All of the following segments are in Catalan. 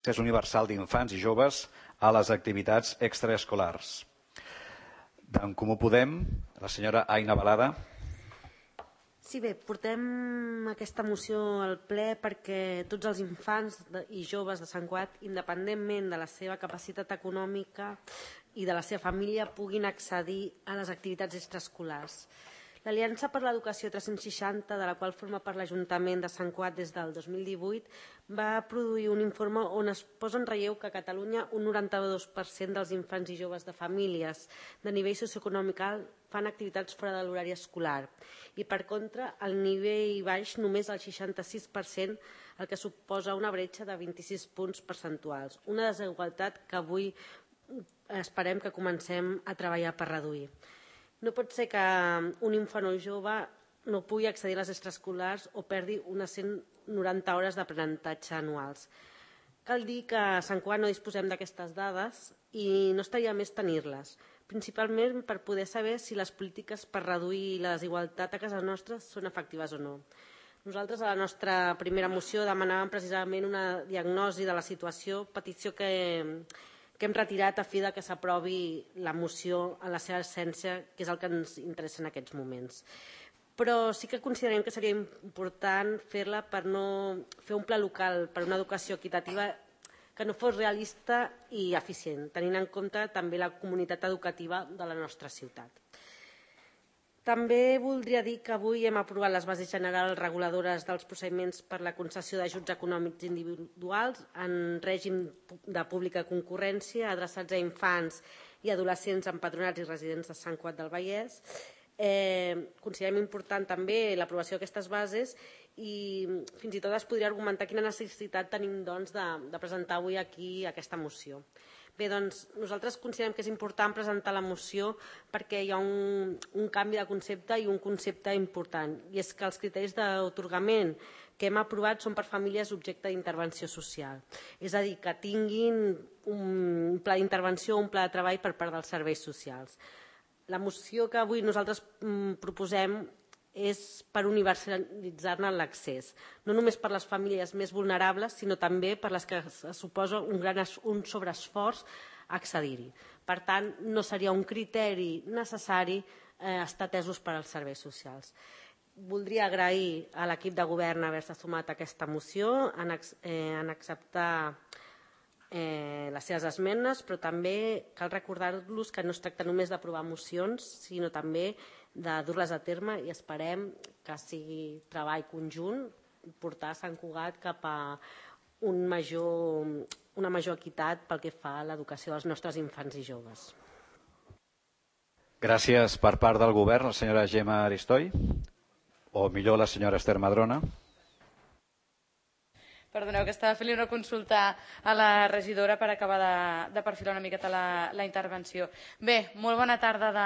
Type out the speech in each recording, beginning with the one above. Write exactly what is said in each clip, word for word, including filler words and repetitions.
l'accés universal d'infants i joves a les activitats extraescolars. D'en Comú Podem, la senyora Aina Balada. Sí, bé, portem aquesta moció al ple perquè tots els infants i joves de Sant Cugat, independentment de la seva capacitat econòmica i de la seva família, puguin accedir a les activitats extraescolars. L'Aliança per l'Educació tres-cents seixanta, de la qual forma part l'Ajuntament de Sant Cugat des del dos mil divuit, va produir un informe on es posa en relleu que a Catalunya un noranta-dos per cent dels infants i joves de famílies de nivell socioeconòmic alt fan activitats fora de l'horari escolar i, per contra, al nivell baix només el seixanta-sis per cent, el que suposa una bretxa de vint-i-sis punts percentuals, una desigualtat que avui esperem que comencem a treballar per reduir. No pot ser que un infant o jove no pugui accedir a les extraescolars o perdi unes cent noranta hores d'aprenentatge anuals. Cal dir que a Sant Cugat no disposem d'aquestes dades i no estaria més tenir-les, principalment per poder saber si les polítiques per reduir la desigualtat a casa nostra són efectives o no. Nosaltres, a la nostra primera moció, demanàvem precisament una diagnosi de la situació, petició que que hem retirat a fi que s'aprovi la moció en la seva essència, que és el que ens interessa en aquests moments. Però sí que considerem que seria important fer-la per no fer un pla local per una educació equitativa que no fos realista i eficient, tenint en compte també la comunitat educativa de la nostra ciutat. També voldria dir que avui hem aprovat les bases generals reguladores dels procediments per la concessió d'ajuts econòmics individuals en règim de pública concurrència adreçats a infants i adolescents empadronats i residents de Sant Cugat del Vallès. Considerem important també l'aprovació d'aquestes bases i fins i tot es podria argumentar quina necessitat tenim de presentar avui aquí aquesta moció. Bé, doncs, nosaltres considerem que és important presentar la moció perquè hi ha un, un canvi de concepte i un concepte important, i és que els criteris d'atorgament que hem aprovat són per famílies objecte d'intervenció social. És a dir, que tinguin un pla d'intervenció o un pla de treball per part dels serveis socials. La moció que avui nosaltres proposem és per universalitzar-ne l'accés, no només per les famílies més vulnerables, sinó també per les que suposa un, gran, un sobreesforç accedir-hi. Per tant, no seria un criteri necessari eh, estar atesos per als serveis socials. Voldria agrair a l'equip de govern haver-se sumat a aquesta moció, en, eh, en acceptar eh, les seves esmenes, però també cal recordar-los que no es tracta només d'aprovar mocions, sinó també de dur-les a terme, i esperem que sigui treball conjunt portar Sant Cugat cap a un major, una major equitat pel que fa a l'educació dels nostres infants i joves. Gràcies per part del govern, la senyora Gemma Aristoi, o millor la senyora Esther Madrona. Perdoneu, que estava fent una consulta a la regidora per acabar de, de perfilar una miqueta la, la intervenció. Bé, molt bona tarda de,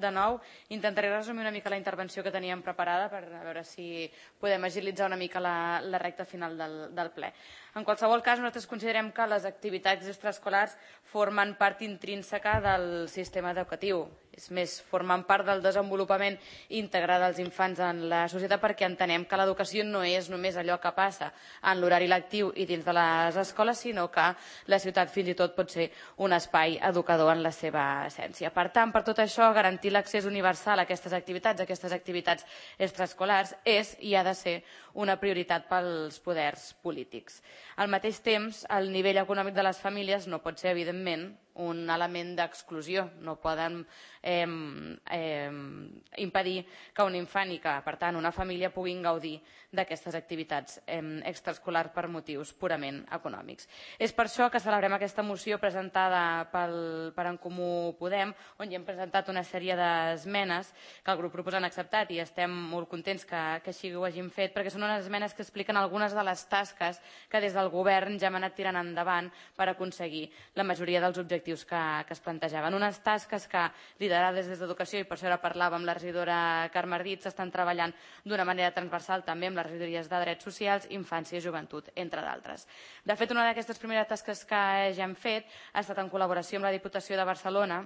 de nou. Intentaré resumir una mica la intervenció que teníem preparada per a veure si podem agilitzar una mica la, la recta final del, del ple. En qualsevol cas, nosaltres considerem que les activitats extraescolars formen part intrínseca del sistema educatiu. És més, formen part del desenvolupament íntegre dels infants en la societat, perquè entenem que l'educació no és només allò que passa en l'horari lectiu i dins de les escoles, sinó que la ciutat fins i tot pot ser un espai educador en la seva essència. Per tant, per tot això, garantir l'accés universal a aquestes activitats, a aquestes activitats extraescolars, és i ha de ser una prioritat pels poders polítics. Al mateix temps, el nivell econòmic de les famílies no pot ser, evidentment, un element d'exclusió. No poden eh, eh, impedir que un infant i que, per tant, una família puguin gaudir d'aquestes activitats eh, extraescolars per motius purament econòmics. És per això que celebrem aquesta moció presentada pel, per En Comú Podem, on hi hem presentat una sèrie d'esmenes que el grup proposant ha acceptat, i estem molt contents que, que així ho hagin fet, perquè són unes esmenes que expliquen algunes de les tasques que des del govern ja hem anat tirant endavant per aconseguir la majoria dels objectius que, que es plantejaven. Unes tasques que, liderades des d'Educació, i per això ara parlàvem amb la regidora Carme Ardit, s'estan treballant d'una manera transversal també amb les regidories de Drets Socials, Infància i Joventut, entre d'altres. De fet, una d'aquestes primeres tasques que ja hem fet ha estat en col·laboració amb la Diputació de Barcelona,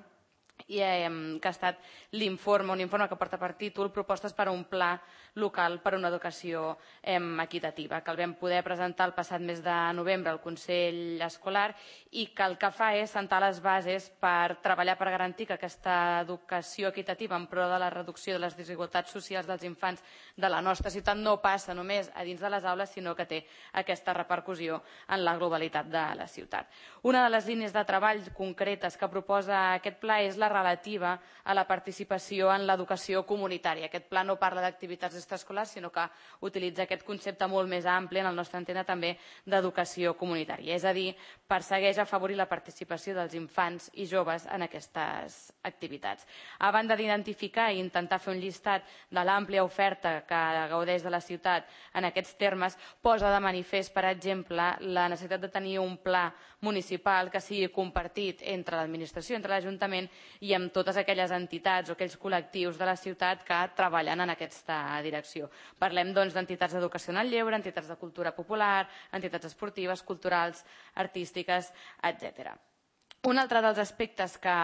i eh, que ha estat l'informe, un informe que porta per títol Propostes per a un pla local per a una educació eh, equitativa, que el vam poder presentar el passat mes de novembre al Consell Escolar i que el que fa és sentar les bases per treballar per garantir que aquesta educació equitativa en pro de la reducció de les desigualtats socials dels infants de la nostra ciutat no passa només a dins de les aules, sinó que té aquesta repercussió en la globalitat de la ciutat. Una de les línies de treball concretes que proposa aquest pla és la relativa a la participació en l'educació comunitària. Aquest pla no parla d'activitats extraescolars, sinó que utilitza aquest concepte molt més ampli, en el nostre entendre també, d'educació comunitària. És a dir, persegueix afavorir la participació dels infants i joves en aquestes activitats. A banda d'identificar i intentar fer un llistat de l'àmplia oferta que gaudeix de la ciutat en aquests termes, posa de manifest, per exemple, la necessitat de tenir un pla municipal que sigui compartit entre l'administració, entre l'Ajuntament i amb totes aquelles entitats o aquells col·lectius de la ciutat que treballen en aquesta direcció. Parlem doncs d'entitats d'educació en el lleure, entitats de cultura popular, entitats esportives, culturals, artístiques, etcètera. Un altre dels aspectes que,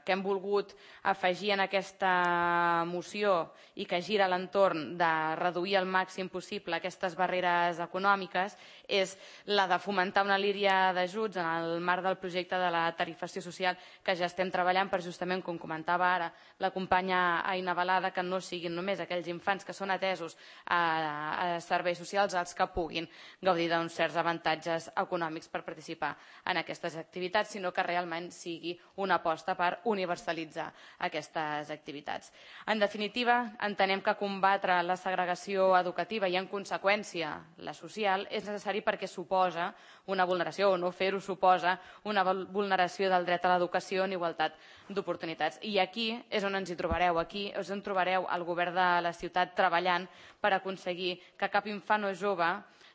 que hem volgut afegir en aquesta moció i que gira a l'entorn de reduir al màxim possible aquestes barreres econòmiques és la de fomentar una línia d'ajuts en el marc del projecte de la tarifació social que ja estem treballant per justament, com comentava ara la companya Aina Balada, que no siguin només aquells infants que són atesos a, a serveis socials els que puguin gaudir d'uns certs avantatges econòmics per participar en aquestes activitats, sinó que realment sigui una aposta per universalitzar aquestes activitats. En definitiva, entenem que combatre la segregació educativa i, en conseqüència, la social és necessari perquè suposa una vulneració, o no fer-ho suposa una vulneració del dret a l'educació en igualtat d'oportunitats. I aquí és on ens hi trobareu, aquí és on trobareu el govern de la ciutat treballant per aconseguir que cap infant o jove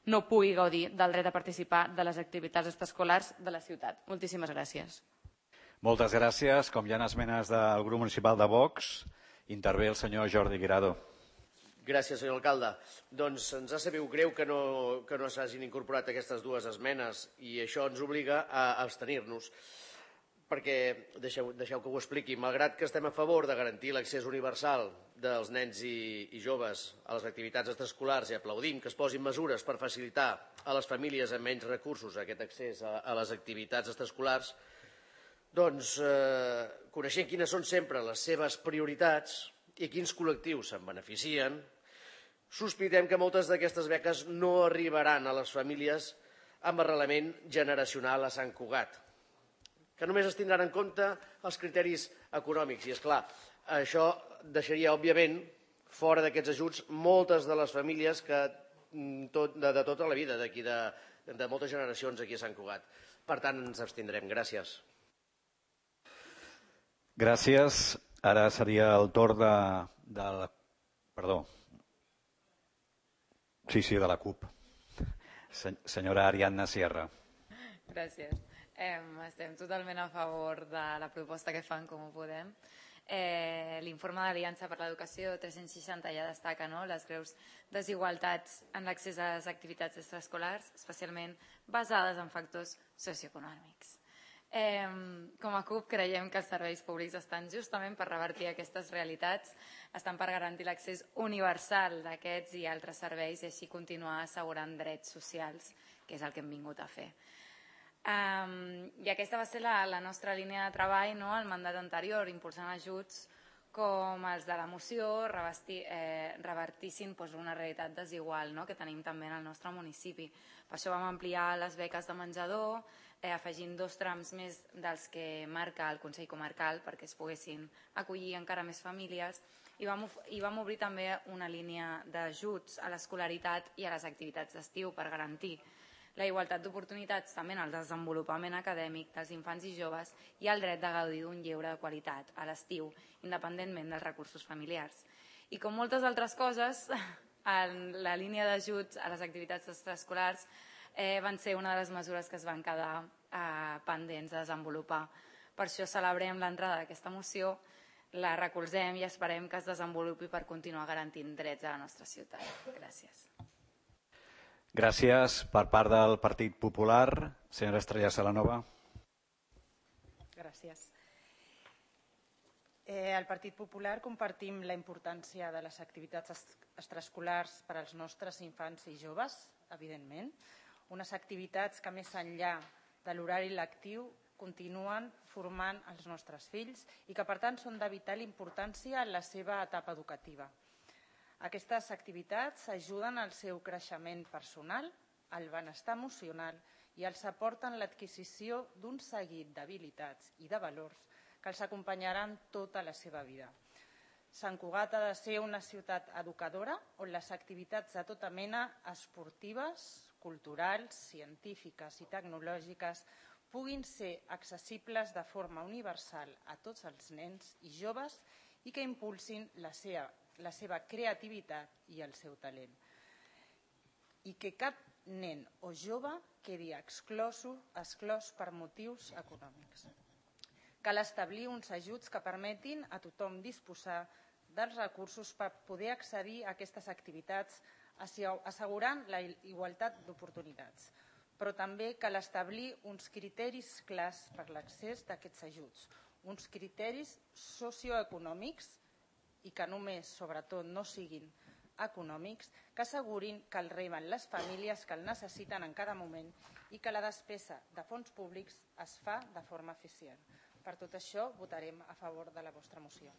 no pugui gaudir del dret a participar de les activitats extraescolars de la ciutat. Moltíssimes gràcies. Moltes gràcies. Com hi ha esmenes del grup municipal de Vox, intervé el senyor Jordi Guirado. Gràcies, senyor alcalde. Doncs ens ha sabut greu que no, que no s'hagin incorporat aquestes dues esmenes i això ens obliga a abstenir-nos. Perquè, deixeu, deixeu que ho expliqui, malgrat que estem a favor de garantir l'accés universal dels nens i, i joves a les activitats extraescolars i aplaudim que es posin mesures per facilitar a les famílies amb menys recursos aquest accés a, a les activitats extraescolars, doncs, eh, coneixent quines són sempre les seves prioritats i quins col·lectius se'n beneficien, sospitem que moltes d'aquestes beques no arribaran a les famílies amb arrelament generacional a Sant Cugat, que només es tindran en compte els criteris econòmics. I, és clar, això deixaria, òbviament, fora d'aquests ajuts moltes de les famílies que, tot, de, de tota la vida, d'aquí de, de moltes generacions aquí a Sant Cugat. Per tant, ens abstindrem. Gràcies. Gràcies. Ara seria el torn de, de la... Perdó. Sí, sí, de la CUP. Senyora Ariadna Sierra. Gràcies. Eh, estem totalment a favor de la proposta que fan Com Ho Podem. Eh, L'informe d'Aliança per l'Educació tres-cents seixanta ja destaca, no?, les greus desigualtats en l'accés a les activitats extraescolars, especialment basades en factors socioeconòmics. Eh, com a CUP creiem que els serveis públics estan justament per revertir aquestes realitats, estan per garantir l'accés universal d'aquests i altres serveis i així continuar assegurant drets socials, que és el que hem vingut a fer. Um, I aquesta va ser la, la nostra línia de treball, no?, al mandat anterior, impulsant ajuts com els de la moció revesti, eh, revertissin pues, una realitat desigual, no?, que tenim també en el nostre municipi. Per això vam ampliar les beques de menjador, eh, afegint dos trams més dels que marca el Consell Comarcal perquè es poguessin acollir encara més famílies i vam, i vam obrir també una línia d'ajuts a l'escolaritat i a les activitats d'estiu per garantir la igualtat d'oportunitats també en el desenvolupament acadèmic dels infants i joves i el dret de gaudir d'un lleure de qualitat a l'estiu, independentment dels recursos familiars. I com moltes altres coses, en la línia d'ajuts a les activitats extraescolars eh, van ser una de les mesures que es van quedar eh, pendents de desenvolupar. Per això celebrem l'entrada d'aquesta moció, la recolzem i esperem que es desenvolupi per continuar garantint drets a la nostra ciutat. Gràcies. Gràcies. Per part del Partit Popular, senyora Estrella Salanova. Gràcies. Eh, al Partit Popular compartim la importància de les activitats extraescolars per als nostres infants i joves, evidentment. Unes activitats que més enllà de l'horari lectiu continuen formant els nostres fills i que per tant són de vital importància en la seva etapa educativa. Aquestes activitats ajuden al seu creixement personal, al benestar emocional i els aporten l'adquisició d'un seguit d'habilitats i de valors que els acompanyaran tota la seva vida. Sant Cugat ha de ser una ciutat educadora on les activitats de tota mena esportives, culturals, científiques i tecnològiques puguin ser accessibles de forma universal a tots els nens i joves i que impulsin la seva, la seva creativitat i el seu talent. I que cap nen o jove quedi exclòs, exclòs per motius econòmics. Cal establir uns ajuts que permetin a tothom disposar dels recursos per poder accedir a aquestes activitats, assegurant la igualtat d'oportunitats. Però també cal establir uns criteris clars per l'accés d'aquests ajuts, uns criteris socioeconòmics i que només, sobretot, no siguin econòmics, que assegurin que el reben les famílies que el necessiten en cada moment i que la despesa de fons públics es fa de forma eficient. Per tot això, votarem a favor de la vostra moció.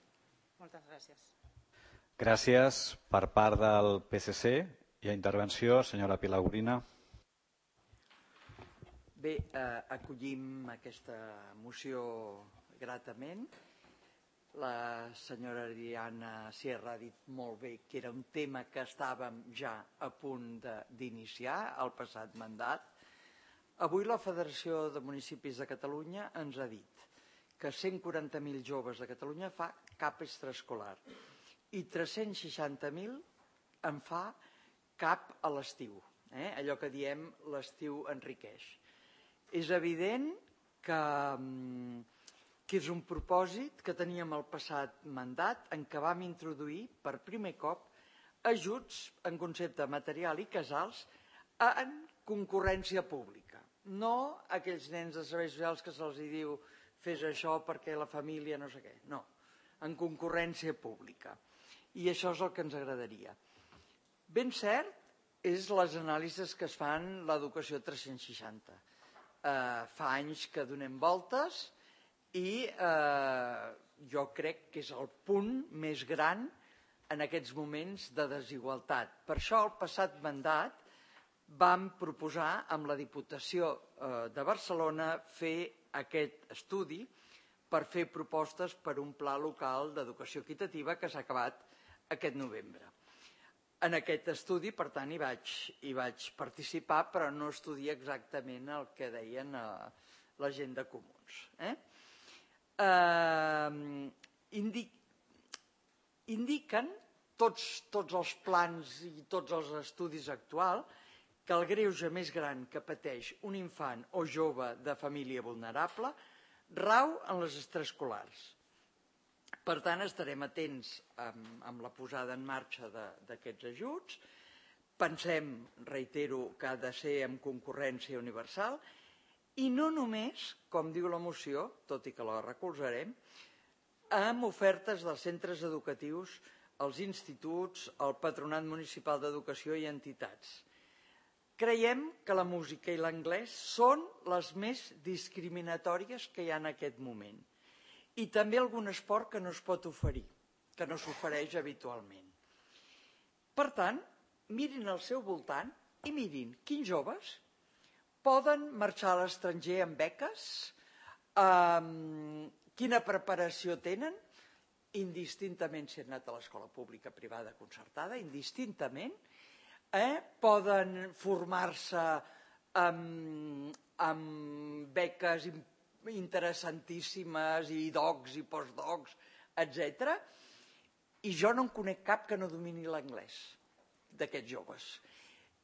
Moltes gràcies. Gràcies. Per part del P S C, hi ha intervenció. Senyora Pilar Gorina. Bé, eh, acollim aquesta moció gratament. La senyora Diana Sierra ha dit molt bé que era un tema que estàvem ja a punt d'iniciar el passat mandat. Avui la Federació de Municipis de Catalunya ens ha dit que cent quaranta mil joves de Catalunya fa cap extraescolar i tres-cents seixanta mil en fa cap a l'estiu. Eh? Allò que diem l'estiu enriqueix. És evident que, que és un propòsit que teníem al passat mandat en què vam introduir per primer cop ajuts en concepte material i casals en concurrència pública. No aquells nens de serveis socials que se'ls diu fes això perquè la família no sé què. No, en concurrència pública. I això és el que ens agradaria. Ben cert és les anàlisis que es fan l'educació tres-cents seixanta. Eh, fa anys que donem voltes i eh, jo crec que és el punt més gran en aquests moments de desigualtat. Per això el passat mandat vam proposar amb la Diputació eh, de Barcelona fer aquest estudi per fer propostes per un pla local d'educació equitativa que s'ha acabat aquest novembre. En aquest estudi, per tant, hi vaig, hi vaig participar, però no estudia exactament el que deien eh, la gent de Comuns. Eh? Eh, indic, indiquen tots, tots els plans i tots els estudis actuals que el greuge més gran que pateix un infant o jove de família vulnerable rau en les extraescolars. Per tant, estarem atents amb, amb la posada en marxa d'aquests ajuts. Pensem, reitero, que ha de ser amb concurrència universal i no només, com diu la moció, tot i que la recolzarem, amb ofertes dels centres educatius, els instituts, el Patronat Municipal d'Educació i entitats. Creiem que la música i l'anglès són les més discriminatòries que hi ha en aquest moment. I també algun esport que no es pot oferir, que no s'ofereix habitualment. Per tant, mirin al seu voltant i mirin quins joves poden marxar a l'estranger amb beques, eh, quina preparació tenen, indistintament si han anat a l'escola pública, privada, concertada, indistintament, Eh, poden formar-se amb, amb beques interessantíssimes i docs i postdocs, etcètera. I jo no en conec cap que no domini l'anglès d'aquests joves.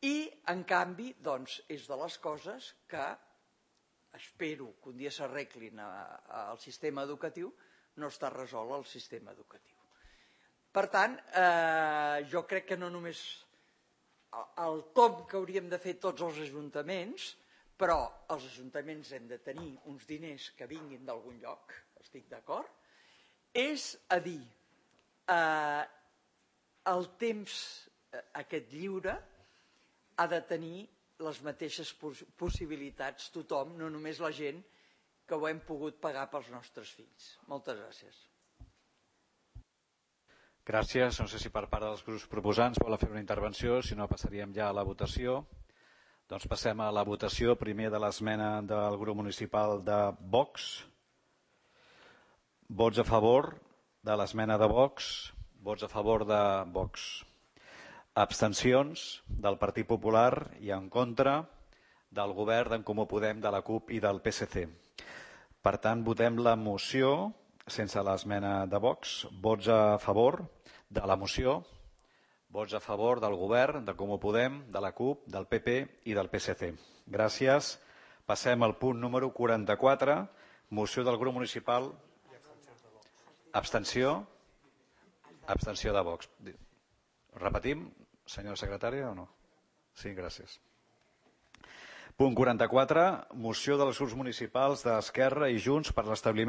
I, en canvi, doncs, és de les coses que espero que un dia s'arreglin al sistema educatiu, no està resolt al sistema educatiu. Per tant, eh, jo crec que no només el tomb que hauríem de fer tots els ajuntaments, però els ajuntaments hem de tenir uns diners que vinguin d'algun lloc, estic d'acord, És a dir, eh, el temps aquest lliure ha de tenir les mateixes possibilitats tothom, no només la gent que ho hem pogut pagar pels nostres fills. Moltes gràcies. Gràcies. No sé si per part dels grups proposants volen fer una intervenció, si no passaríem ja a la votació. Doncs passem a la votació primer de l'esmena del grup municipal de Vox. Vots a favor de l'esmena de Vox. Vots a favor de Vox. Abstencions del Partit Popular i en contra del govern d'en Comú Podem, de la CUP i del P S C. Per tant, votem la moció sense l'esmena de Vox. Vots a favor de la moció. Vots a favor del govern, de Comú Podem, de la CUP, del P P i del P S C. Gràcies. Passem al punt número quaranta-quatre, moció del grup municipal. Abstenció. Abstenció de Vox. Repetim, senyora secretària, o no? Sí, gràcies. Punt quaranta-quatre, moció dels grups municipals d'Esquerra i Junts per l'establiment